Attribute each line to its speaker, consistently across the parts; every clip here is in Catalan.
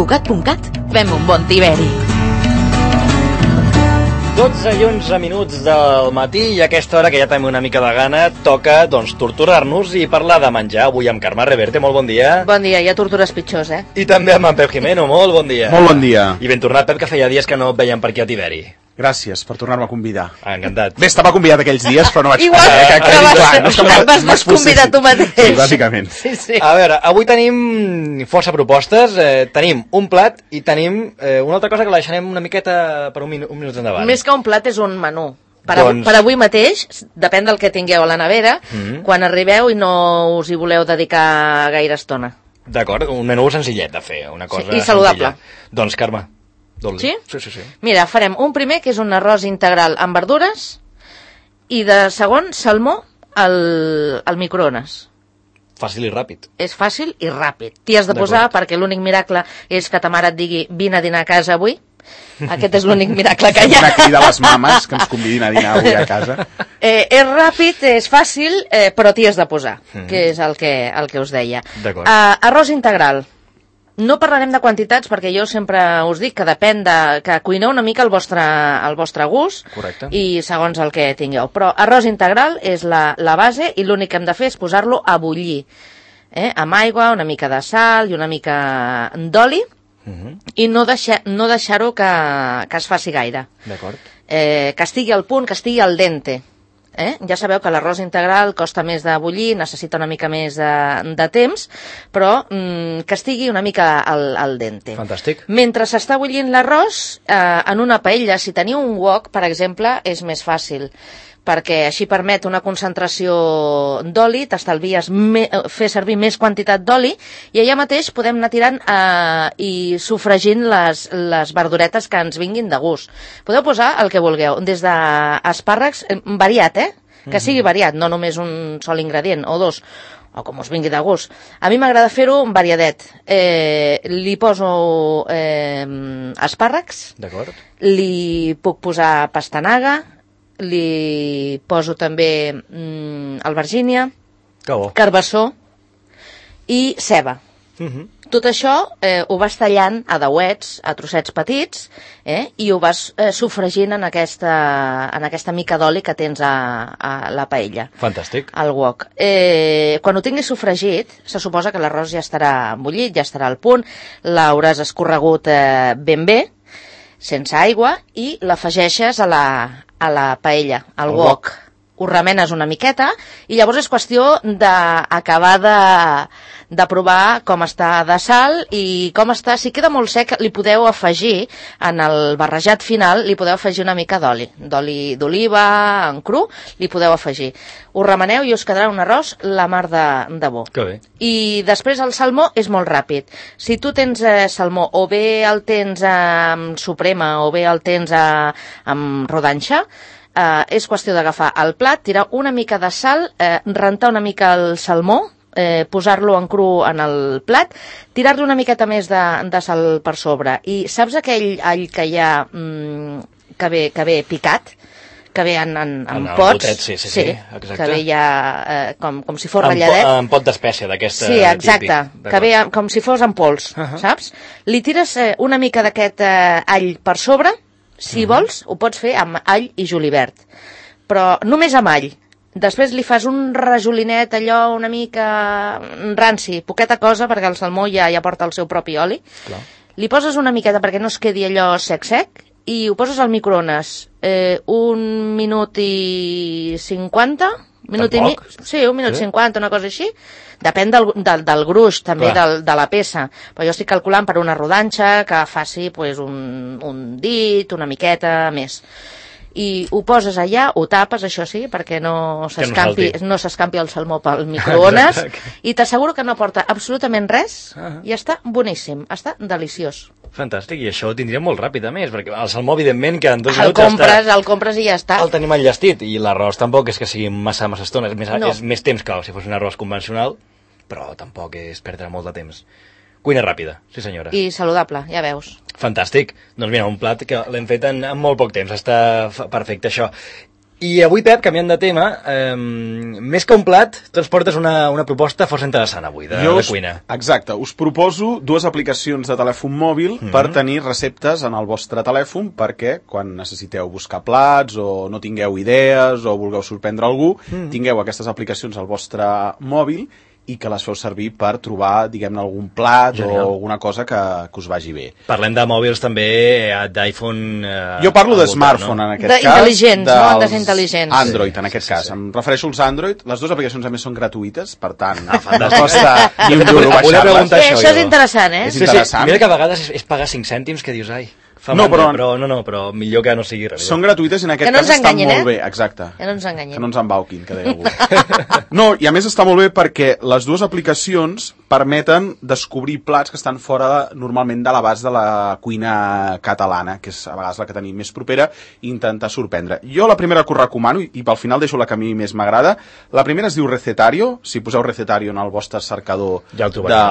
Speaker 1: SantCugat.cat. Fem un bon tiberi.
Speaker 2: 12 i 11 minuts del matí i a aquesta hora, que ja tenim una mica de gana, toca, doncs, torturar-nos i parlar de menjar. Avui amb Carme Reverte, molt bon dia.
Speaker 3: Bon dia, hi ha tortures pitjors,
Speaker 2: I també amb en Pep Jimeno, molt bon dia.
Speaker 4: Molt bon dia.
Speaker 2: I ben tornat, Pep, que feia dies que no et veiem per aquí a Tiberi.
Speaker 4: Gràcies per tornar-me a convidar.
Speaker 2: Encantat.
Speaker 4: Bé, estava convidat aquells dies, però no vaig
Speaker 3: Igual
Speaker 4: poder.
Speaker 3: vas desconvidar tu mateix.
Speaker 4: Sí, bàsicament.
Speaker 3: Sí.
Speaker 2: A veure, avui tenim força propostes. Tenim un plat i tenim una altra cosa que la deixarem una miqueta per un minut endavant.
Speaker 3: Més que un plat és un menú. Per avui mateix, depèn del que tingueu a la nevera, quan arribeu i no us hi voleu dedicar gaire estona.
Speaker 2: D'acord, un menú senzillet de fer, una cosa
Speaker 3: i saludable.
Speaker 2: Senzilla. Doncs, Carme, dol-li.
Speaker 3: Sí?
Speaker 2: Sí.
Speaker 3: Mira, farem un primer, que és un arròs integral amb verdures, i de segon, salmó al microones.
Speaker 2: Fàcil i ràpid.
Speaker 3: És fàcil i ràpid. T'hi has de posar perquè l'únic miracle és que ta mare et digui vine a dinar a casa avui. Aquest és l'únic miracle que hi ha.
Speaker 4: Una crida a les mames que ens convidin a dinar avui a casa.
Speaker 3: És ràpid, és fàcil, però t'hi has de posar, que és el que us deia.
Speaker 2: D'acord.
Speaker 3: Arròs integral. No parlarem de quantitats perquè jo sempre us dic que depèn que cuineu una mica al vostre gust.
Speaker 2: Correcte.
Speaker 3: I segons el que tingueu. Però arròs integral és la base i l'únic que hem de fer és posar-lo a bullir. Amb aigua, una mica de sal i una mica d'oli i no deixar-ho que es faci gaire.
Speaker 2: D'acord.
Speaker 3: Que estigui al punt, que estigui al dente. Ja sabeu que l'arròs integral costa més de bullir, necessita una mica més de temps, però que estigui una mica al dente.
Speaker 2: Fantàstic.
Speaker 3: Mentre s'està bullint l'arròs, en una paella, si teniu un wok, per exemple, és més fàcil, perquè així permet una concentració d'oli, t'estalvies fer servir més quantitat d'oli, i allà mateix podem anar tirant i sofregint les verduretes que ens vinguin de gust. Podeu posar el que vulgueu, des d'espàrrecs, variat, que sigui variat, no només un sol ingredient, o dos, o com us vingui de gust. A mi m'agrada fer-ho variadet. Li poso espàrrecs, li puc posar pastanaga, li poso també albergínia, carbassó i ceba. Tot això ho vas tallant a dauets, a trossets petits, i ho vas sofregint en aquesta mica d'oli que tens a la paella.
Speaker 2: Fantàstic.
Speaker 3: Al wok. Quan ho tinguis sofregit, se suposa que l'arròs ja estarà bullit, ja estarà al punt, l'hauràs escorregut ben bé, sense aigua, i l'afegeixes a la paella, al wok. Ho remenes una miqueta i llavors és qüestió d'acabar de provar com està de sal i com està. Si queda molt sec, li podeu afegir, en el barrejat final, li podeu afegir una mica d'oli d'oliva, en cru, li podeu afegir. Ho remeneu i us quedarà un arròs la mar de bo.
Speaker 2: Que bé.
Speaker 3: I després el salmó és molt ràpid. Si tu tens salmó, o bé el tens amb suprema, o bé el tens amb rodanxa, és qüestió d'agafar el plat, tirar una mica de sal, rentar una mica el salmó, posar-lo en cru en el plat, tirar-li una miqueta més de sal per sobre. I saps aquell all que hi ha que ve picat? Que ve en pots?
Speaker 2: Botet, sí, exacte.
Speaker 3: Que ve ja com si fos ratlladet.
Speaker 2: En pot d'espècie d'aquesta.
Speaker 3: Sí, exacte, que ve com si fos en pols, saps? Li tires una mica d'aquest all per sobre. Si vols, ho pots fer amb all i julivert, però només amb all. Després li fas un rajolinet, allò una mica ranci, poqueta cosa, perquè el salmó ja porta el seu propi oli. Clar. Li poses una miqueta perquè no es quedi allò sec, i ho poses al microones. Un minut i 50... Sí, un minut 50, una cosa així. Depèn del gruix, també, de la peça. Però jo estic calculant per una rodanxa que faci un dit, una miqueta més. I ho poses allà, ho tapes, això sí, perquè no s'escampi el salmó pel microones, i t'asseguro que no porta absolutament res, i està boníssim, està deliciós.
Speaker 2: Fantàstic, i això ho tindríem molt ràpid, a més, perquè el salmó, evidentment, que en 2 minuts
Speaker 3: el compres i ja està.
Speaker 2: El tenim enllestit, i l'arròs tampoc és que sigui massa estona, és més temps que si fos un arròs convencional, però tampoc és perdre molt de temps. Cuina ràpida, sí senyora.
Speaker 3: I saludable, ja veus.
Speaker 2: Fantàstic. Doncs mira, un plat que l'hem fet en molt poc temps, està perfecte això. I avui, Pep, canviant de tema, més que un plat, tu ens portes una proposta força interessant avui, de cuina.
Speaker 4: Exacte, us proposo 2 aplicacions de telèfon mòbil per tenir receptes en el vostre telèfon, perquè quan necessiteu buscar plats o no tingueu idees o vulgueu sorprendre algú, tingueu aquestes aplicacions al vostre mòbil i que les feu servir per trobar, diguem-ne, algun plat o alguna cosa que us vagi bé.
Speaker 2: Parlem de mòbils també, d'iPhone...
Speaker 4: Jo parlo de smartphone, en aquest cas.
Speaker 3: Intel·ligents, no? Desintel·ligents.
Speaker 4: Android, en aquest cas. Em refereixo als Android. Les 2 aplicacions, a més, són gratuïtes, per tant, no costa ni un duro baixar-les.
Speaker 3: Això és interessant, eh?
Speaker 4: És interessant.
Speaker 2: Mira que a vegades és pagar 5 cèntims que dius, ai... Però millor que no sigui realitat.
Speaker 4: Són gratuïtes i en aquest cas estan molt bé. Exacte.
Speaker 3: Que no ens enganyin.
Speaker 4: Que no ens embauquin, que deia algú. No, i a més està molt bé perquè les 2 aplicacions permeten descobrir plats que estan fora normalment de l'abast de la cuina catalana, que és a vegades la que tenim més propera, i intentar sorprendre. Jo la primera que us recomano, i pel final deixo la que a mi més m'agrada, la primera es diu Recetario. Si poseu Recetario en el vostre cercador de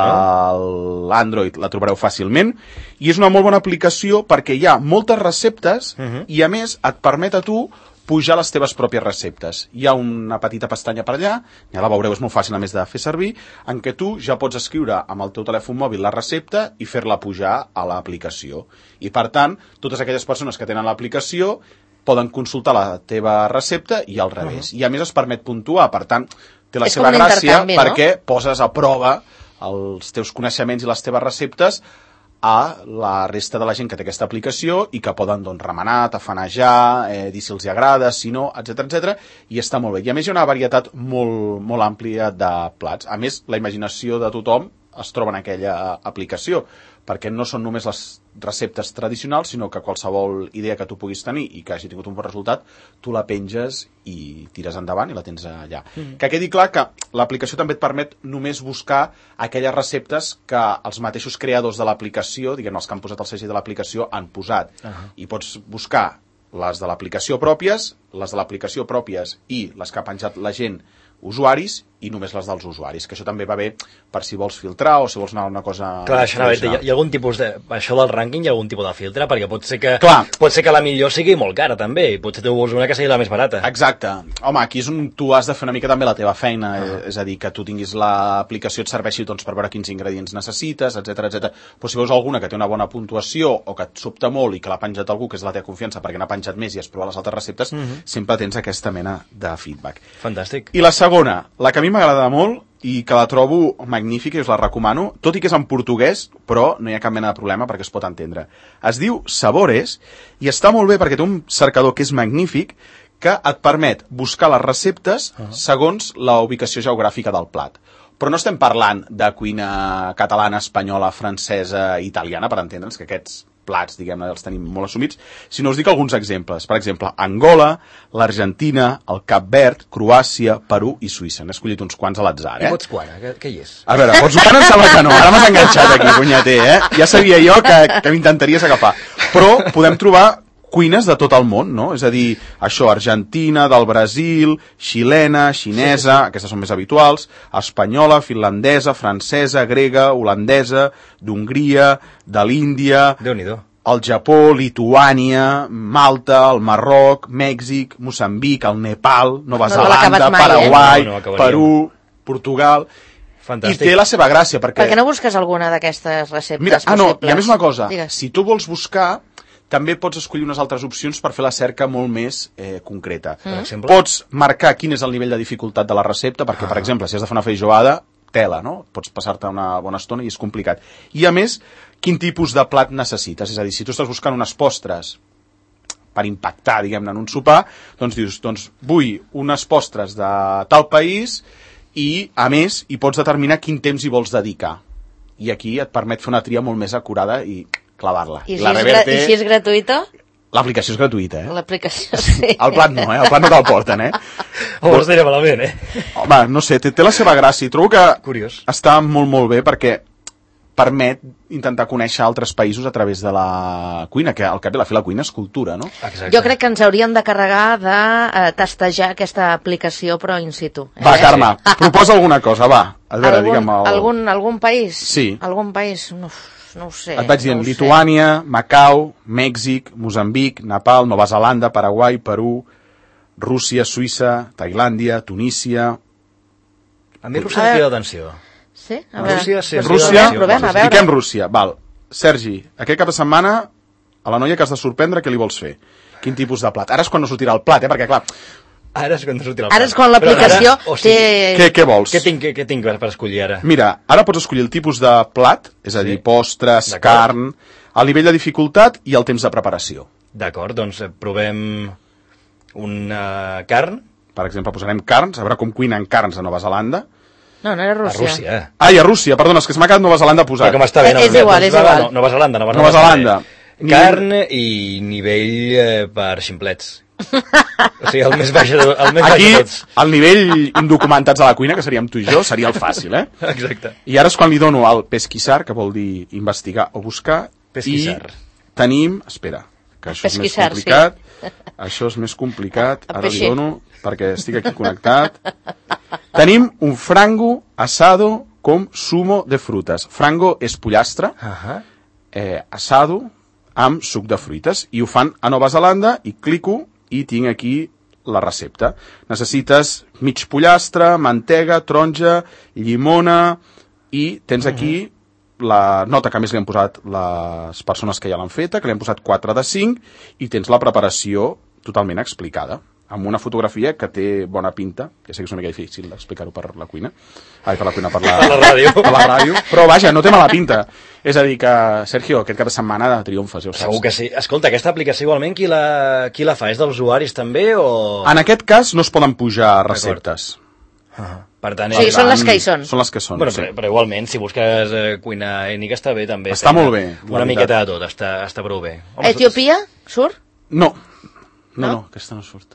Speaker 4: l'Android la trobareu fàcilment, i és una molt bona aplicació perquè hi ha moltes receptes i a més et permet a tu pujar les teves pròpies receptes. Hi ha una petita pestanya per allà, ja la veureu, és molt fàcil a més de fer servir, en què tu ja pots escriure amb el teu telèfon mòbil la recepta i fer-la pujar a l'aplicació. I per tant, totes aquelles persones que tenen l'aplicació poden consultar la teva recepta i al revés. I a més es permet puntuar, per tant, té la seva gràcia perquè poses a prova els teus coneixements i les teves receptes a la resta de la gent que té aquesta aplicació i que poden remenar, tafanejar, dir si els agrada, si no, etc, i està molt bé. I a més hi ha una varietat molt àmplia de plats. A més, la imaginació de tothom es troba en aquella aplicació, perquè no són només les receptes tradicionals, sinó que qualsevol idea que tu puguis tenir i que hagi tingut un bon resultat, tu la penges i tires endavant i la tens allà. Que quedi clar que l'aplicació també et permet només buscar aquelles receptes que els mateixos creadors de l'aplicació, diguem, els que han posat el segell de l'aplicació, han posat. I pots buscar les de l'aplicació pròpies, les de l'aplicació pròpies i les que ha penjat la gent, usuaris, i només les dels usuaris, que això també va bé per si vols filtrar o si vols anar a una cosa...
Speaker 2: Clar, això hi ha algun tipus de... Això del rànquing hi ha algun tipus de filtre, perquè pot ser que la millor sigui molt cara, també, i potser tu vols una que sigui la més barata.
Speaker 4: Exacte. Home, aquí és on tu has de fer una mica també la teva feina, és a dir, que tu tinguis l'aplicació et serveixi per veure quins ingredients necessites, etc. Però si veus alguna que té una bona puntuació o que et sobta molt i que l'ha penjat algú que és de la teva confiança perquè n'ha penjat més i has provat les altres receptes, sempre tens aquesta mena de feedback.
Speaker 2: Fantàstic.
Speaker 4: I la segona, la que a mi m'agrada molt i que la trobo magnífica i us la recomano, tot i que és en portuguès, però no hi ha cap mena de problema perquè es pot entendre. Es diu Sabores i està molt bé perquè té un cercador que és magnífic, que et permet buscar les receptes segons la ubicació geogràfica del plat. Però no estem parlant de cuina catalana, espanyola, francesa, italiana, per entendre'ns, que aquests plats, diguem-ne, els tenim molt assumits, sinó us dic alguns exemples. Per exemple, Angola, l'Argentina, el Cap Verd, Croàcia, Perú i Suïssa. N'he escollit uns quants a l'atzar,
Speaker 2: I Botswana, què hi és?
Speaker 4: A veure, Botswana em sembla que no, ara m'has enganxat aquí, punyeter, Ja sabia jo que m'intentaries agafar. Però podem trobar cuines de tot el món, no? És a dir, això, Argentina, del Brasil, xilena, xinesa, aquestes són més habituals, espanyola, finlandesa, francesa, grega, holandesa, d'Hongria, de l'Índia, el Japó, Lituània, Malta, el Marroc, Mèxic, Moçambic, el Nepal, Nova Zelanda, Paraguai, Perú, Portugal... Fantàstic. I té la seva gràcia, perquè...
Speaker 3: Per què no busques alguna d'aquestes receptes possibles?
Speaker 4: No, i a més una cosa, si tu vols buscar... també pots escollir unes altres opcions per fer la cerca molt més concreta. Pots marcar quin és el nivell de dificultat de la recepta, perquè, per exemple, si has de fer una feijoada, tela, no? Pots passar-te una bona estona i és complicat. I, a més, quin tipus de plat necessites? És a dir, si tu estàs buscant unes postres per impactar, diguem-ne, en un sopar, doncs dius, vull unes postres de tal país i, a més, hi pots determinar quin temps hi vols dedicar. I aquí et permet fer una tria molt més acurada i clavar-la.
Speaker 3: I si és gratuïta?
Speaker 4: L'aplicació és gratuïta,
Speaker 3: L'aplicació, sí.
Speaker 4: El plat no, El plat no te'l porten,
Speaker 2: Ho diré malament,
Speaker 4: Home, no sé, té la seva gràcia. Trobo que està molt bé perquè permet intentar conèixer altres països a través de la cuina, que al cap i a la fi la cuina és cultura, no?
Speaker 3: Exacte. Jo crec que ens hauríem de carregar de testejar aquesta aplicació, però in situ.
Speaker 4: Va, Carme, proposa alguna cosa, va. A veure, digue'm...
Speaker 3: Algun país?
Speaker 4: Sí.
Speaker 3: Algun país? No ho sé.
Speaker 4: Et vaig dient Lituània, Macau, Mèxic, Moçambic, Nepal, Nova Zelanda, Paraguai, Perú, Rússia, Suïssa, Tailàndia, Tunísia...
Speaker 2: A mi Rússia em crida l'atenció.
Speaker 3: Sí? A
Speaker 2: Rússia, sí.
Speaker 3: Provem, a veure.
Speaker 4: Fiquem Rússia. Val. Sergi, aquest cap de setmana, a la noia que has de sorprendre, què li vols fer? Quin tipus de plat? Ara és quan no sortirà el plat, perquè clar...
Speaker 2: Ara és quan no sortirà el plat.
Speaker 3: Ara és quan l'aplicació té...
Speaker 4: Què vols?
Speaker 2: Què tinc per escollir ara?
Speaker 4: Mira, ara pots escollir el tipus de plat, és a dir, postres, carn, el nivell de dificultat i el temps de preparació.
Speaker 2: D'acord, doncs provem una carn.
Speaker 4: Per exemple, posarem carns, a veure com cuinen carns a Nova Zelanda.
Speaker 3: No era Rússia.
Speaker 2: A Rússia.
Speaker 4: Ai, a Rússia, perdona, és que se m'ha quedat Nova Zelanda posat.
Speaker 2: Però com està bé,
Speaker 3: És igual.
Speaker 2: Nova Zelanda.
Speaker 4: Nova Zelanda.
Speaker 2: Carn i nivell per ximplets. O sigui, el més baix de
Speaker 4: Aquí,
Speaker 2: tots.
Speaker 4: el nivell indocumentats a la cuina, que seríem tu i jo, seria el fàcil, eh?
Speaker 2: Exacte.
Speaker 4: I ara és quan li dono el pesquisar, que vol dir investigar o buscar.
Speaker 2: Pesquisar.
Speaker 4: I tenim... Espera, que això és més complicat. Sí. Això és més complicat. Ara li dono, perquè estic aquí connectat. Tenim un frango asado com zumo de frutas. Frango és pollastre, asado amb suc de fruites. I ho fan a Nova Zelanda i clico i tinc aquí la recepta. Necessites mig pollastre, mantega, taronja, llimona i tens aquí la nota que més li han posat les persones que ja l'han feta, que li han posat 4 de 5 i tens la preparació totalment explicada amb una fotografia que té bona pinta, ja sé que és una mica difícil d'explicar-ho per la cuina, per la ràdio, però vaja, no té mala pinta. És a dir que, Sergio, aquest cap de setmana de triomfes, ja ho saps.
Speaker 2: Segur que sí. Escolta, aquesta aplicació igualment qui la fa? És dels usuaris també o...?
Speaker 4: En aquest cas no es poden pujar receptes.
Speaker 2: Per tant,
Speaker 3: sí, són les que hi són.
Speaker 4: Són les que són,
Speaker 2: bueno, sí. Però igualment, si busques cuina ètnica està bé també.
Speaker 4: Està molt bé.
Speaker 2: Una miqueta de tot, està prou bé.
Speaker 3: Etiòpia surt?
Speaker 4: No, aquesta no surt.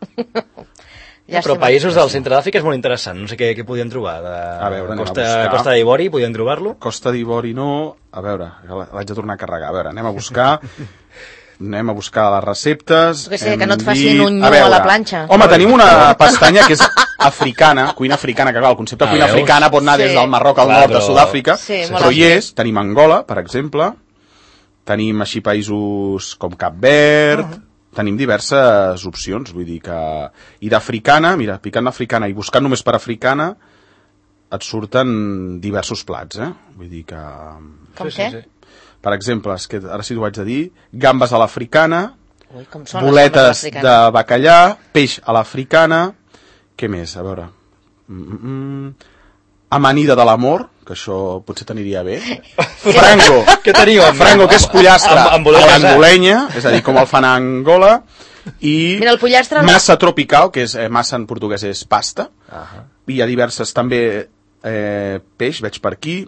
Speaker 2: Però països del centre d'Àfrica és molt interessant. No sé què podien trobar.
Speaker 4: A veure,
Speaker 2: Costa d'Ivori, podien trobar-lo?
Speaker 4: Costa d'Ivori no. A veure, l'haig de tornar a carregar. A veure, anem a buscar les receptes.
Speaker 3: Que no et facin un nyu a la planxa.
Speaker 4: Home, tenim una pestanya que és africana, cuina africana, que clar, el concepte de cuina africana pot anar des del Marroc al nord de Sud-àfrica, però hi és, tenim Angola, per exemple, tenim així països com Cap Verd, tenim diverses opcions, vull dir que... I d'africana, mira, picant africana i buscant només per africana, et surten diversos plats, Vull dir que...
Speaker 3: Com què?
Speaker 4: Per exemple, és que ara sí t'ho haig de dir, gambes a l'africana, boletes de bacallà, peix a l'africana, què més? A veure... Amanida de l'amor, que això potser t'aniria bé. Frango,
Speaker 2: què teniu?
Speaker 4: Frango, que és pollastre a l'angolenya, és a dir, com el fan a Angola, i
Speaker 3: mira, el pollastre...
Speaker 4: massa tropical, que és massa en portuguès és pasta, i hi ha diverses també peix, veig per aquí.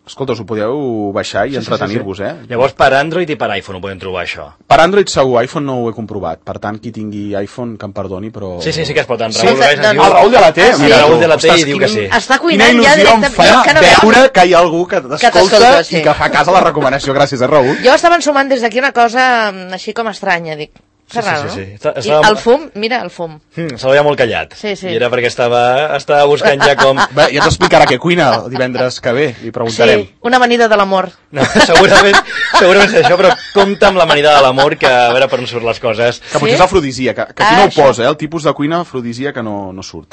Speaker 4: Escolta, us ho podeu baixar i entretenir-vos,
Speaker 2: Llavors, per Android i per iPhone ho podem trobar, això?
Speaker 4: Per Android segur, iPhone no ho he comprovat. Per tant, qui tingui iPhone, que em perdoni, però...
Speaker 2: Sí que es pot. El
Speaker 4: Raül de la T,
Speaker 2: mira, Raül de la T i diu que sí.
Speaker 3: Està cuinant ja directament.
Speaker 4: Quina il·lusió em fa veure que hi ha algú que t'escolta i que fa cas a la recomanació. Gràcies, Raül.
Speaker 3: Jo estava ensumant des d'aquí una cosa així com estranya, dic.
Speaker 2: Sí.
Speaker 3: I el fum, mira el fum.
Speaker 2: Se veia molt callat.
Speaker 3: Sí.
Speaker 2: I era perquè estava buscant ja com...
Speaker 4: Bé, ja t'explicarà què cuina el divendres que ve, li preguntarem.
Speaker 3: Sí, una amanida de l'amor.
Speaker 2: No, segurament és això, però compta amb l'amanida de l'amor, que a veure per on surt les coses.
Speaker 4: Que potser és afrodisíac, que aquí no ho posa, el tipus de cuina afrodisíac que no surt.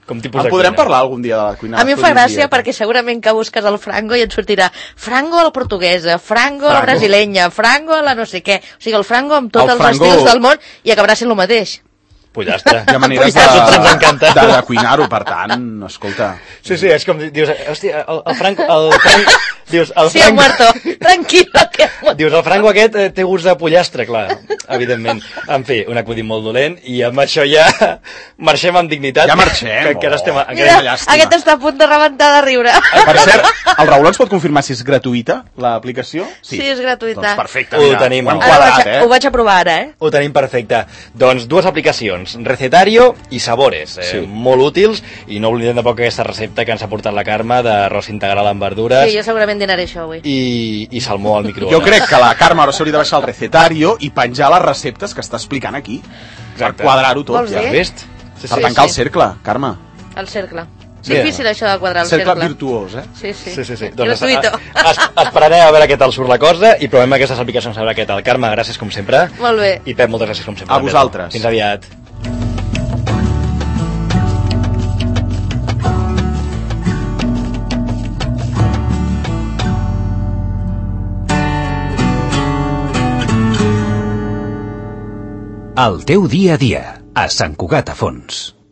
Speaker 2: Com tipus de
Speaker 4: podrem parlar algun dia de la cuina
Speaker 3: afrodisíac. A mi em fa gràcia perquè segurament que busques el frango i et sortirà frango a la portuguesa, frango a la brasilenya, frango a la no sé què. O sigui, el frango amb tots els estils del món i acabarà sent el mateix.
Speaker 2: Pollastre.
Speaker 4: Hi ha maneres de cuinar-ho, per tant, escolta...
Speaker 2: Sí, és com, dius, hòstia, el Franco... Dius,
Speaker 3: sí, ha muerto, tranquilo, que ha muerto.
Speaker 2: Dius, el Franco aquest té gust de pollastre, clar, evidentment. En fi, un acudit molt dolent, i amb això ja marxem amb dignitat.
Speaker 4: Ja marxem.
Speaker 3: Mira, aquest està a punt de rebentar de riure.
Speaker 4: Per cert, el Raül ens pot confirmar si és gratuïta, l'aplicació?
Speaker 3: Sí, és gratuïta.
Speaker 4: Doncs perfecte,
Speaker 2: ho tenim.
Speaker 3: Ho vaig a provar ara,
Speaker 2: Ho tenim perfecte. Doncs dues aplicacions, Recetario i Sabores, molt útils, i no oblidem de poc aquesta recepta que ens ha portat la Carme d'arròs integral amb verdures.
Speaker 3: Sí, jo segurament dinaré això avui.
Speaker 2: I salmó al microones.
Speaker 4: Jo crec que la Carme ara s'hauria de baixar el Recetario i penjar les receptes que està explicant aquí. Per quadrar-ho tot.
Speaker 3: Vols dir?
Speaker 2: Vist?
Speaker 4: Per tancar el cercle, Carme.
Speaker 3: El cercle. Difícil això de quadrar el cercle.
Speaker 4: Cercle virtuós,
Speaker 2: Sí. Doncs esperaré a veure què tal surt la cosa i provem aquestes aplicacions a veure què tal. Carme, gràcies com sempre.
Speaker 3: Molt bé.
Speaker 2: I Pep, moltes gràcies com sempre.
Speaker 4: A vosaltres.
Speaker 2: Fins aviat.
Speaker 5: El teu dia a dia, a Sant Cugat a Fons.